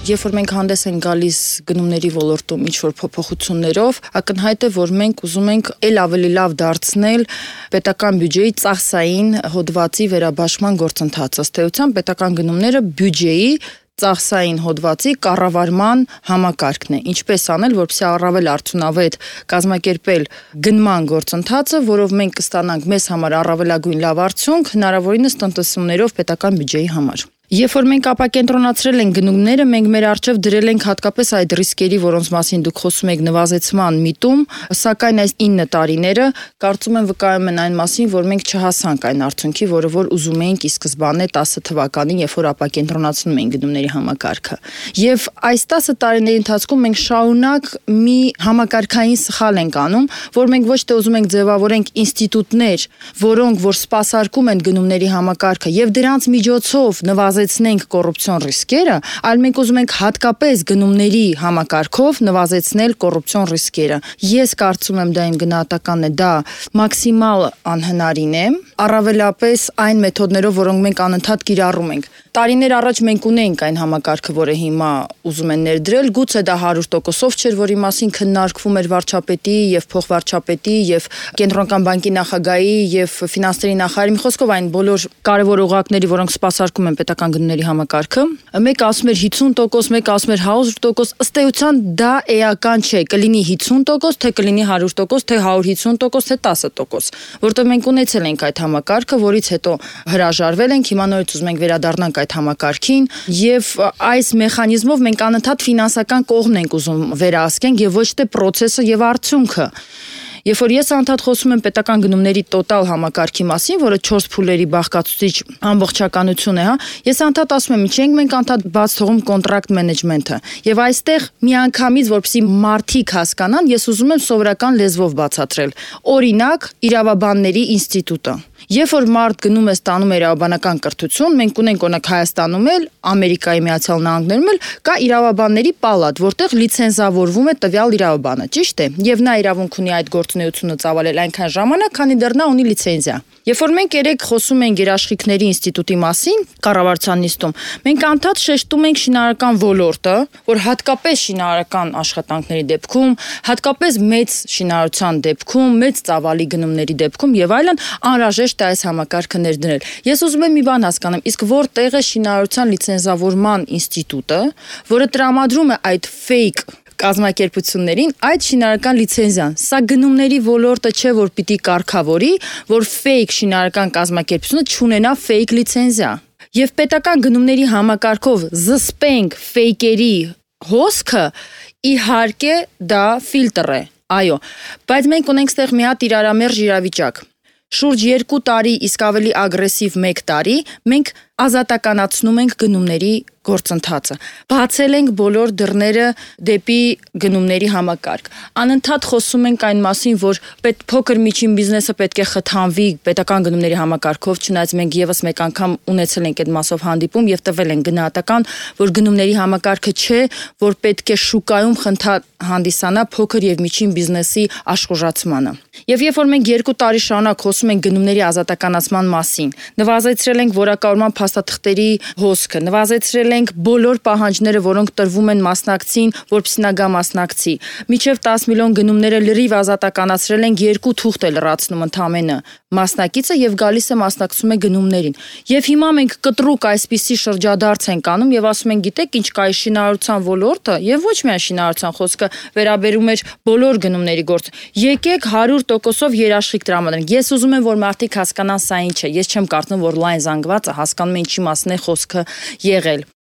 Երբ որ մենք հանդես ենք գալիս գնումների ոլորտում ինչ-որ փոփոխություններով, ակնհայտ է, որ մենք ուզում ենք ել ավելի լավ դարձնել պետական բյուջեի ծախսային հոդվածի վերաբաշխման գործընթացը։ Ըստ էության պետական գնումները բյուջեի ծախսային հոդվածի կառավարման համակարգն է։ Ինչպես անել, որպեսզի առավել արդյունավետ կազմակերպել գնման գործընթացը, որով մենք կստանանք մեզ համար առավելագույն լավ արդյունք, հնարավորինս տնտեսումներով պետական բյուջեի համար։ Երբ որ մենք ապակենտրոնացրել ենք գնումները, մենք մեր առջև դրել ենք հատկապես այդ ռիսկերի, որոնց մասին դուք խոսում եք, նվազեցման միտում, սակայն այս 9 տարիները կարծում եմ վկայում են այն մասին, որ մենք չհասանք այն արդյունքի, որը որ ուզում էինք ի սկզբանե 10 թվականին, երբ որ ապակենտրոնացնում էինք գնումների համակարգը։ Եվ այս 10 տարիների ընթացքում մենք շարունակ մի համակարգային սխալ ենք անում, որ մենք ոչ թե ուզում ենք ձևավորենք ինստիտուտներ, որոնք որ սպասարկում են գնումների համակարգը եւ դրանց միջոցով նվազեցնենք կոռուպցիոն ռիսկերը, այլ մենք ուզում ենք հատկապես գնումների համակարգով նվազեցնել կոռուպցիոն ռիսկերը։ Ես կարծում եմ դա իմ գնահատականն է, դա մաքսիմալ անհնարին է, առավելապես այն մեթոդներով, որոնք մենք անընդհատ կիրառում ենք։ Տարիներ առաջ մենք ունեինք այն համակարգը, որը հիմա ուզում են ներդրել, գուցե դա 100%-ով չէր, որի մասին քննարկվում էր վարչապետի եւ փոխվարչապետի եւ կենտրոնական բանկի նախագահի եւ ֆինանսների նախարարի, մի խոսքով այն բոլոր կարևոր օղակների, որոնք սպասարկում են պետական գնումների համակարգը։ Մեկ ասում էր 50%, մեկ ասում էր 100%, ըստ էության դա էական չէ, կլինի 50%, թե կլինի 100%, թե 150%, թե 10%, որտեղ մենք ունեցել ենք այդ համակարգը, որից հետո հրաժարվել ենք, հիմա նորից ուզում ենք վերադառնանք այդ համակարգին եւ այս մեխանիզմով մենք անընդհատ ֆինանսական կողմն ենք ուզում վերահսկենք եւ ոչ թե process-ը եւ արդյունքը։ Երբ որ ես անդադ խոսում եմ պետական գնումների տոտալ համակարգի մասին, որը 4 փուլերի բաղկացուցիչ ամբողջականություն է, ես անդադ ասում եմ, ինչենք մենք անդադ բաց թողում կոնտրակտ մենեջմենթը։ Եվ այստեղ միանգամից, որպեսզի մարդիկ հասկանան, ես ուզում եմ սովորական լեզվով բացատրել։ Օրինակ, իրավաբանների ինստիտուտը։ Երբ որ մարդ գնում է ստանում իրավաբանական կրթություն, մենք ունենք օրինակ Հայաստանում էլ, Ամերիկայի Միացյալ Նահանգներում էլ կա իրավաբանների պալատ, որտեղ լիցենզավորվում է տվյալ իրավաբանը, ճիշտ է։ Եվ նա իրավունք ունի այդ գործունեությունը ծավալել այնքան ժամանակ, քանի դեռ նա ունի լիցենզիա։ Երբ որ մենք երեք խոսում ենք երաշխիքների ինստիտուտի մասին, կառավարության նիստում, մենք անդադ շեշտում ենք շինարարական ոլորտը, որ հատկապես շինարարական աշխատանքների դեպքում, հատկապես մեծ շինարարության դեպքում, մեծ ծավալի գնումների դեպքում եւ այլն անհրաժեշտ է այս համակարգը ներդնել։ Ես ուզում եմ մի բան հասկանամ, իսկ որտեղ է շինարարության լիցենզավորման ինստիտուտը, որը տրամադրում է այդ fake կազմակերպություններին այդ շինարարական լիցենզիան։ Սա գնումների ոլորտը չէ, որ պիտի կարգավորի, որ fake շինարարական կազմակերպությունը չունենա fake լիցենզիա։ Եվ պետական գնումների համակարգով զսպենք fake-երի հոսքը, իհարկե դա ֆիլտր է։ Այո, բայց մենք ունենք ստեղ մի հատ իրարամերժ իրավիճակ։ Շուրջ 2 տարի, իսկ ավելի ագրեսիվ 1 տարի, մենք ազատականացնում ենք գնումների գործընթացը։ Բացել ենք բոլոր դռները դեպի գնումների համակարգ։ Անընդհատ խոսում ենք այն մասին, որ փոքր միջին բիզնեսը պետք է խթանվի պետական գնումների համակարգով, չնայած մենք եւս մեկ անգամ ունեցել ենք այդ մասով հանդիպում եւ տվել ենք գնահատական, որ գնումների համակարգը չէ, որ պետք է շուկայում հանդիսանա փոքր եւ միջին բիզնեսի աշխուժացմանը։ Եվ երբ որ մենք 2 տարի շարունակ խոսում ենք գնումների ազատականացման մասին, նվազեցրել ենք որակավորման փաստաթղթերի հոսքը, նվազեցրել ենք բոլոր պահանջները, որոնք տրվում են մասնակցին, որպեսզի նա գա մասնակցի։ Մինչև 10 միլիոն գնումները լրիվ ազատականացրել ենք, 2 թուղթ է լրացնում ընդամենը մասնակիցը եւ գալիս է մասնակցում է գնումներին։ Եվ հիմա մենք կտրուկ այսպիսի շրջադարձ ենք անում եւ ասում ենք, գիտեք ինչ կա շինարարության ոլորտը եւ ոչ միայն շինարարության խոսքը վերաբերում էր բոլոր գնումների գործ։ Եկեք 100%-ով երաշխիք տրամադրենք։ Ես ուզում եմ, որ մարդիկ հասկանան սա ինչ է։ Ես չեմ կարծում, որ լայն զանգվածը հասկանում է ինչի մասն է խոսքը եղել։